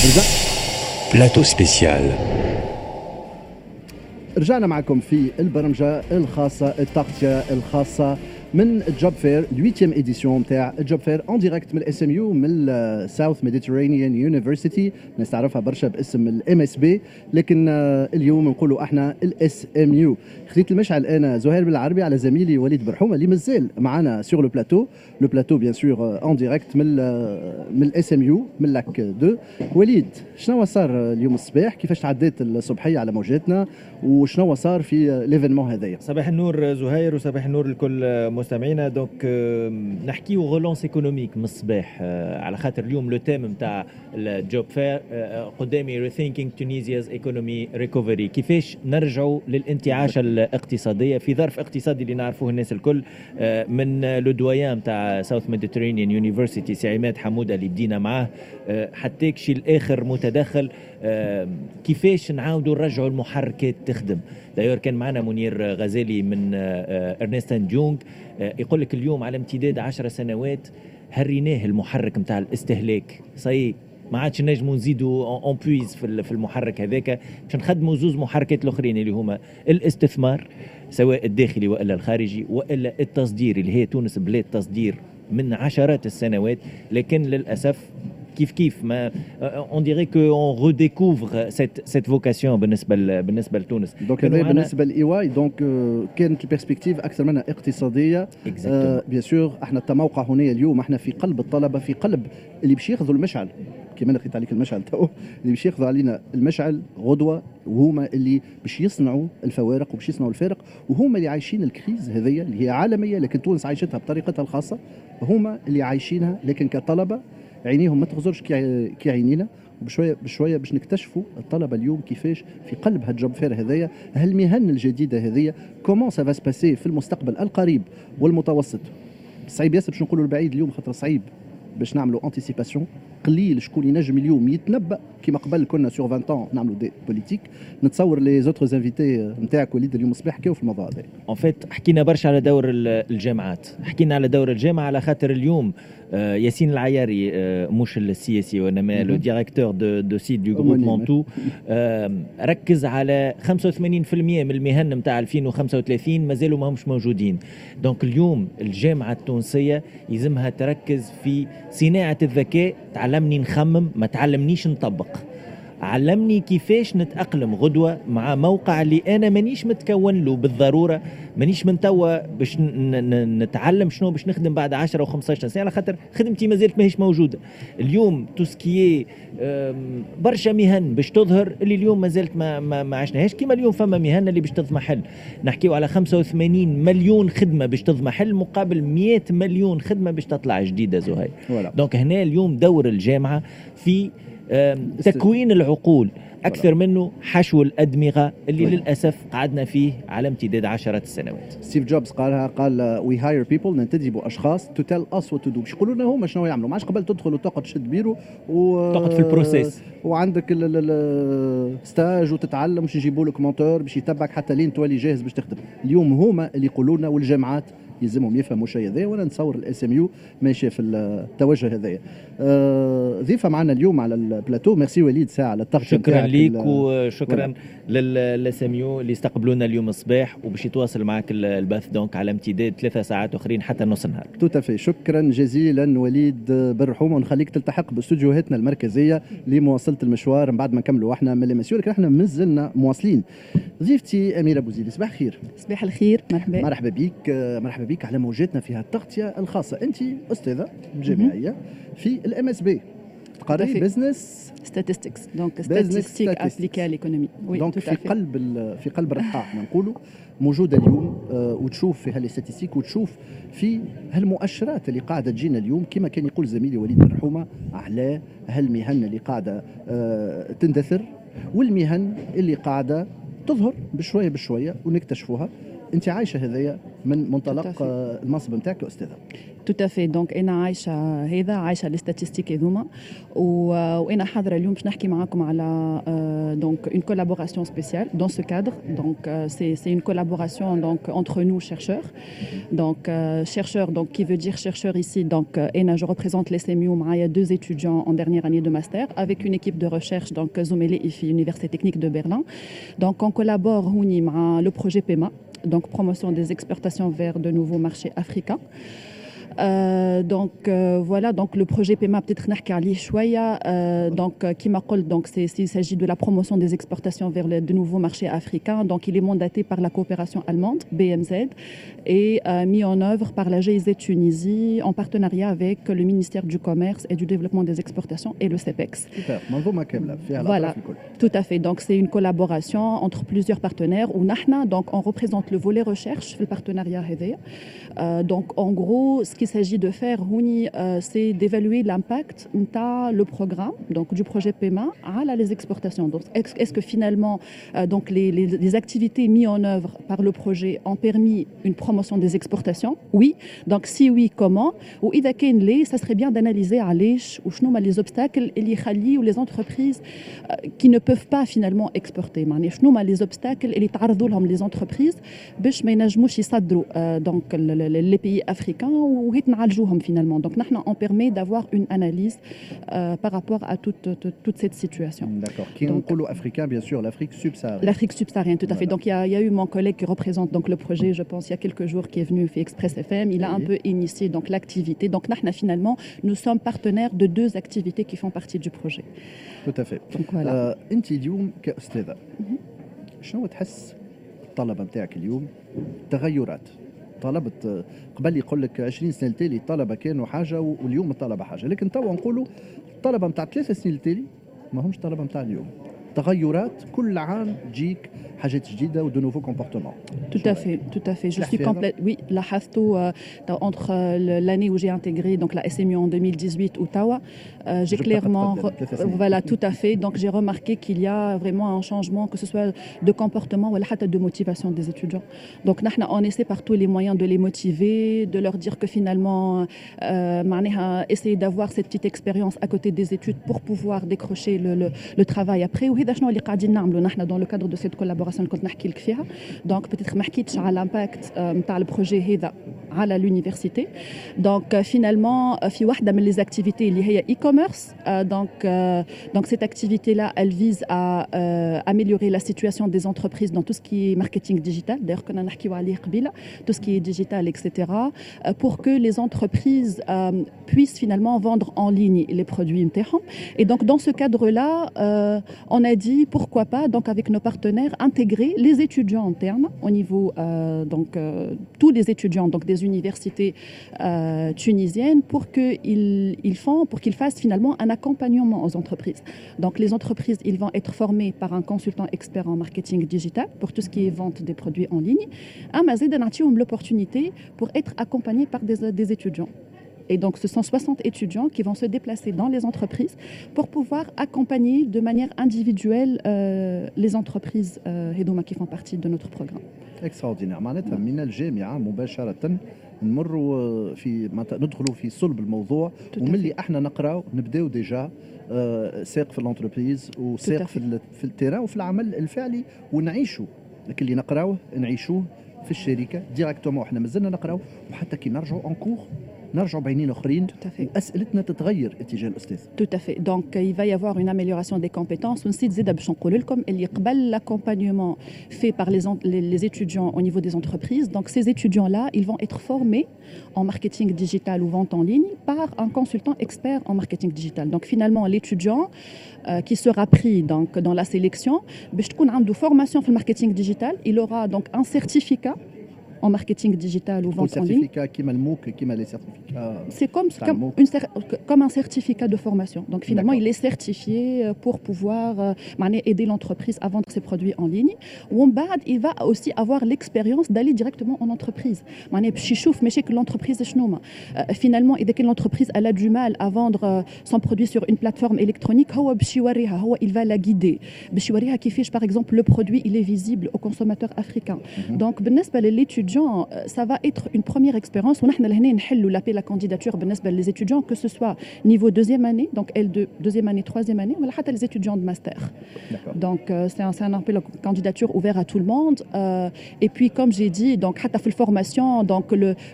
Plateau spécial. رجعنا معكم في البرمجة الخاصه، التغطية الخاصة من Job Fair، 8 édition نتاع Job Fair، en direct من ال SMU، من South Mediterranean University. الناس تعرفها برشا باسم ال MSB، لكن اليوم نقولوا احنا ال SMU. خذيت المشعل انا زهير بالعربي على زميلي وليد برحومه اللي مازال معنا sur le plateau، le plateau bien sûr en direct من ال SMU، من Lac 2. وليد، شنو صار اليوم الصباح؟ كيفاش تعديت الصبحية على موجاتنا؟ وشنو صار في l'événement هذايا؟ صباح النور زهير، وصباح النور لكل مستمعينا. donc نحكيو relance économique من الصباح، على خاطر اليوم le thème نتاع ال Job Fair قدامي rethinking Tunisia's economy recovery، كيفاش نرجعوا للانتعاش الاقتصادية في ظرف اقتصادي اللي نعرفوه الناس الكل. من le doyen نتاع South Mediterranean University سي عماد حموده اللي بدينا معاه حتى كشي الاخر متدخل، كيفاش نعاودوا نرجعوا المحركات تخدم. d'ailleurs كان معنا منير غزالي من Ernst & Young، يقول لك اليوم على امتداد 10 سنوات هريناه المحرك نتاع الاستهلاك، ça y est، ما عادش نجموا نزيدوا on puise في المحرك هذاك، باش نخدموا زوز محركات الاخرين اللي هما الاستثمار سواء الداخلي والا الخارجي والا التصدير، اللي هي تونس بلاد تصدير من عشرات السنوات، لكن للاسف كيف كيف ما on dirait que on redécouvre cette vocation بالنسبه لتونس. donc هذا بالنسبة ل EY، donc كانت ال perspective اكثر منها اقتصاديه. bien sûr، احنا التموقع هنا اليوم احنا في قلب الطلبه، في قلب اللي باش ياخذوا المشعل، كما انا خذيت عليك المشعل تو، اللي باش ياخذوا علينا المشعل غدوه، وهما اللي باش يصنعوا الفوارق وباش يصنعوا الفارق، وهما اللي عايشين ال crise هذيا اللي هي عالميه، لكن تونس عايشتها بطريقتها الخاصه. هما اللي عايشينها، لكن كطلبه عينيهم ما تغزرش كي عينينا، وبشويه بشوية باش نكتشفوا الطلبة اليوم كيفاش في قلب هال Job Fair هذايا، هالمهن الجديدة هذيا، comment ça va se passer في المستقبل القريب والمتوسط. صعيب ياسر باش نقولوا البعيد اليوم، خاطر صعيب باش نعملوا anticipation. قليل شكون ينجم اليوم يتنبا كيما قبل كنا sur 20 ans نعملوا des politiques. نتصور les autres invités نتاعك وليد اليوم الصباح حكاو في الموضوع هذا. en fait حكينا برشا على دور الجامعات، حكينا على دور الجامعه، على خاطر اليوم ياسين العياري، مش السياسي وانما le directeur de site du groupe Mantoue، ركز على 85% من المهن نتاع 2035 مازالوا ما همش موجودين. donc اليوم الجامعة التونسية يلزمها تركز في صناعة الذكاء. تعلمني نخمم، ما تعلمنيش نطبق. علمني كيفاش نتأقلم غدوة مع موقع اللي أنا مانيش متكون له بالضرورة، مانيش من توا باش نتعلم شنو باش نخدم بعد 10 و 15 سنة، على خاطر خدمتي ما زالت ماهيش موجودة. اليوم tout ce qui est برشا مهن باش تظهر اللي اليوم ما زالت ما عشناهاش. كيما اليوم فما مهن اللي باش تضمحل، نحكيو على 85 مليون خدمة باش تضمحل مقابل 100 مليون خدمة باش تطلع جديدة زهير. donc هنا اليوم دور الجامعة في تكوين العقول اكثر منه حشو الادمغه اللي للاسف قعدنا فيه على امتداد عشرات السنوات. ستيف جوبز قالها، قال we hire people، ننتدب اشخاص to tell us what to do، باش يقولوا لنا هما شنو يعملوا. ما عادش قبل تدخل وتقعد تشد بيرو و تقعد في ال process. وعندك ال stage وتتعلم، باش يجيبوا لك mentor باش يتبعك حتى لين تولي جاهز باش تخدم. اليوم هما اللي يقولوا لنا، والجامعات يلزمهم يفهموا الشيء هذا، وانا نتصور ال SMU ماشية في التوجه هذايا. ضيفه معنا اليوم على ال plateau، merci وليد ساعة على التغطيه. شكرا ليك وشكرا لل SMU اللي استقبلونا اليوم الصباح، وباش يتواصل معك البث donc على امتداد 3 ساعات اخرين حتى نص النهار. tout à fait، شكرا جزيلا وليد بالرحومه، ونخليك تلتحق باستوديوهاتنا المركزية لمواصلة المشوار من بعد ما نكملوا احنا من l'émission، لكن احنا مازلنا مواصلين. ضيفتي اميره بوزيدي، صباح الخير. صباح الخير، مرحبا. مرحبا بك، مرحبا بك على موجاتنا في التغطية الخاصه. انت استاذه جامعية في ال MSB، تقري business statistics، donc statistiques appliquées à l'économie. donc في قلب الرحى احنا نقولوا موجودة اليوم، وتشوف في هال statistiques وتشوف في هالمؤشرات اللي قاعدة تجينا اليوم، كما كان يقول زميلي وليد الرحومه، على هالمهن اللي قاعدة تندثر والمهن اللي قاعدة تظهر بشوية بشوية ونكتشفوها. انت عايشه هذايا من منطلق المنصب نتاعك استاذه. Tout à fait. Donc انا عايشه هذا، عايشه les statistiques هذوما، وانا حاضره اليوم باش نحكي معاكم على donc une collaboration spéciale dans ce cadre. Donc c'est une collaboration donc entre nous chercheurs. Donc chercheurs, donc qui veut dire chercheur ici, donc انا je représente l'SMU، معايا deux étudiants en dernière année de master avec une équipe de recherche, donc زملائي في Université technique de Berlin. Donc on collabore هوني مع le projet PEMA, donc promotion des exportations vers de nouveaux marchés africains. Donc voilà, donc le projet PEMA, peut-être نحكي عليه شوية. Donc كيما قلت, donc c'est il s'agit de la promotion des exportations vers de nouveaux marchés africains. Donc il est mandaté par la coopération allemande BMZ et mis en œuvre par la GIZ Tunisie en partenariat avec le ministère du Commerce et du Développement des Exportations et le CEPEX. Super, منظومة كاملة فيها. Voilà, tout à fait. Donc c'est une collaboration entre plusieurs partenaires ونحنا donc on représente le volet recherche في ال partenariat هذايا. Donc en gros, ce qu'il s'agit de faire هوني, c'est d'évaluer l'impact نتاع le programme, donc du projet PEMA على les exportations. Donc est-ce que finalement donc les activités mises en œuvre par le projet ont permis une promotion des exportations? Oui. Donc si oui, comment? وإذا كان لا, ça serait bien d'analyser علاش وشنو هما les obstacles اللي يخليو les entreprises qui ne peuvent pas finalement exporter. معناها شنو هما les obstacles اللي تعرضوا لهم les entreprises باش ما ينجموش يصدروا donc les pays africains وهيت نعالجوهم finalement. Donc نحن on permet d'avoir une analyse par rapport à toute cette situation. D'accord. كي نقولوا africain, bien sûr, l'Afrique subsaharienne. L'Afrique subsaharienne, tout à fait. Donc il y a eu mon collègue qui représente donc le projet, je pense, il y a quelques jours, qui est venu في Express FM. Il a un peu initié donc l'activité. Donc نحن finalement, nous sommes partenaires de deux activités qui font partie du projet. Tout à fait. Donc voilà. انت اليوم كأستاذة شنو تحس الطلبة نتاعك اليوم؟ تغيرات طلبة، قبل يقول لك 20 سنة التالي الطلبة كانوا حاجة واليوم الطلبة حاجة، لكن توا نقولوا الطلبة نتاع 3 سنين التالي ما همش طلبة نتاع اليوم. تغيرات، كل عام تجيك حاجات جديده و de nouveaux comportements. Tout à fait, tout à fait. Je suis complète. Oui, لاحظته entre l'année où j'ai intégré donc la SMU en 2018 وتوا, j'ai clairement, voilà, tout à fait. Donc j'ai remarqué qu'il y a vraiment un changement, que ce soit de comportement ou de motivation des étudiants. Donc نحن on essaie par tous les moyens de les motiver, de leur dire que finalement, معناها essayer d'avoir cette petite expérience à côté des études pour pouvoir décrocher le travail après. وهذا شنو اللي قاعدين نعملوا نحن dans le cadre de cette collaboration اللي كنت نحكي لك فيها. Donc peut-être ما حكيتش على l'impact نتاع ال projet هذا على l'université. Donc finalement في واحده من les activités اللي هي e-commerce, donc cette activité là, elle vise à améliorer la situation des entreprises dans tout ce qui est marketing digital, d'ailleurs كنا نحكيو عليه قبيله, tout ce qui est digital, etc., pour que les entreprises puissent finalement vendre en ligne les produits نتاعهم. Et donc dans ce cadre là, on a dit pourquoi pas, donc avec nos partenaires, intégrer les étudiants internes au niveau donc tous les étudiants donc des universités tunisiennes pour qu'ils fassent finalement un accompagnement aux entreprises. Donc les entreprises, ils vont être formés par un consultant expert en marketing digital pour tout ce qui est vente des produits en ligne. أما زادة نعطيهم l'opportunité pour être accompagnés par des étudiants. Et donc, ce sont 60 étudiants qui vont se déplacer dans les entreprises pour pouvoir accompagner de manière individuelle les entreprises هذوما qui font partie de notre programme. Extraordinaire. معناتها من الجامعة مباشرة نمروا في ندخلوا في صلب الموضوع، وملي احنا نقراو نبداو déjà ساق في l'entreprise وساق في ال terrain وفي العمل الفعلي، ونعيشوا لكن اللي نقراوه نعيشوه في الشركه directement. احنا مازلنا نقراو، وحتى كي نرجعوا en cours نرجعوا بعينين اخرين واسئلتنا تتغير اتجاه الاستاذ. Tout à fait. Donc il va y avoir une amélioration des compétences. ونسيت زيد باش نقول لكم اللي قبل l'accompagnement fait par les étudiants au niveau des entreprises, donc ces étudiants là, ils vont être formés en marketing digital ou vente en ligne par un consultant expert en marketing digital. Donc finalement, l'étudiant qui sera pris donc dans la sélection باش تكون عنده formation في ال marketing digital, il aura donc un certificat. en marketing digital ou vente en ligne. Certificat كيما ال MOOC كيما les certificats. C'est comme un certificat de formation. Donc finalement, il est certifié pour pouvoir معناها aider l'entreprise à vendre ses produits en ligne. ومن بعد, il va aussi avoir l'expérience d'aller directement en entreprise. معناها باش يشوف مشاكل l'entreprise شنو. Finalement, إذا كان l'entreprise elle a du mal à vendre son produit sur une plateforme électronique, هو باش يوريها, هو il va la guider. باش يوريها كيفاش par exemple le produit il est visible aux consommateurs africains. Donc بالنسبة لل étudiant, ça va être une première expérience. ونحن لهنا نحلوا l'appel à candidature بالنسبة les étudiants, que ce soit niveau deuxième année, donc L2, deuxième année, troisième année, ولا حتى les étudiants de master. Donc c'est un appel à candidature ouvert à tout le monde. Et puis comme j'ai dit, donc حتى في formation, donc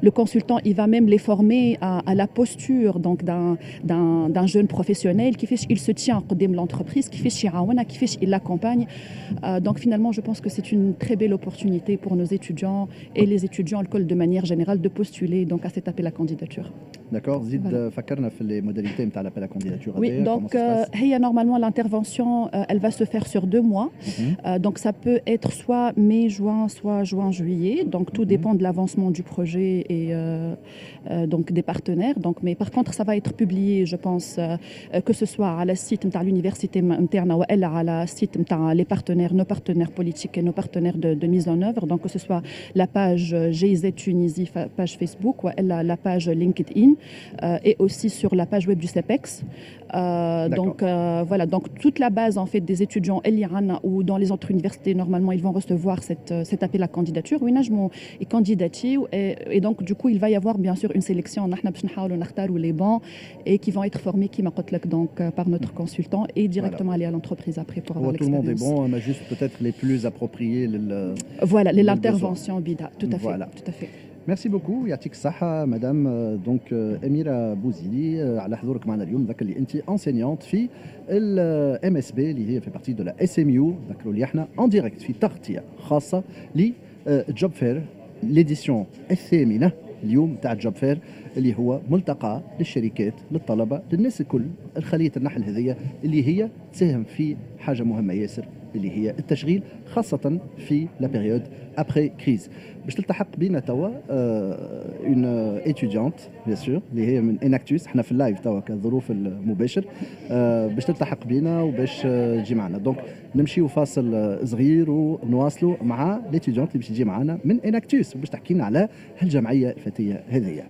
le consultant il va même les former à la posture donc d'un jeune professionnel كيفاش il se tient قدام l'entreprise, كيفاش يعاونها, كيفاش il l'accompagne. Donc finalement, je pense que c'est une très belle opportunité pour nos étudiants et les étudiants الكل de manière générale de postuler donc à cet appel à candidature. D'accord. زيد فكرنا في les modalités نتاع l'appel à candidature. Oui, donc هي normalement l'intervention elle va se faire sur 2 mois. Donc ça peut être soit mai juin, soit juin juillet. Donc tout dépend de l'avancement du projet et donc des partenaires. Donc mais par contre ça va être publié, je pense, que ce soit على ال site نتاع l'université نتاعنا والا على ال site نتاع les partenaires, nos partenaires politiques et nos partenaires de mise en œuvre. Donc que ce soit la page GIZ Tunisie, page Facebook, ou la page LinkedIn et aussi sur la page web du CEPEX. Donc voilà, donc toute la base en fait des étudiants اللي عنا ou dans les autres universités, normalement ils vont recevoir cet appel à candidature وينجموا يكانديداتيو et donc du coup il va y avoir bien sûr une sélection. نحن باش نحاولوا نختاروا les bons et qui vont être formés كيما قلت لك donc par notre consultant et directement aller à l'entreprise après pour avoir Tout le monde est bon, mais juste peut-être les plus appropriés. Voilà, l'intervention بيدها, tout à fait. Voilà. Tout à fait. Merci beaucoup, يعطيك الصحة madame donc أميرة بوزيلي على حضورك معنا اليوم. ذكر اللي أنت enseignante في ال MSB اللي هي fait partie de la SMU. ذكروا اللي احنا en direct في تغطية خاصة ل Job Fair, l'édition الثامنة اليوم تاع Job Fair اللي هو ملتقى للشركات، للطلبة، للناس الكل، الخلية النحل هذية اللي هي تساهم في حاجة مهمة ياسر اللي هي التشغيل خاصة في la période après crise. باش تلتحق بينا توا une étudiante bien sûr اللي هي من Enactus. احنا في ال live توا كظروف المباشر باش تلتحق بينا وباش تجي معنا. Donc نمشيو فاصل صغير ونواصلوا مع l'étudiante اللي باش تجي معنا من Enactus وباش تحكي لنا على هالجمعيه الفتيه هذه.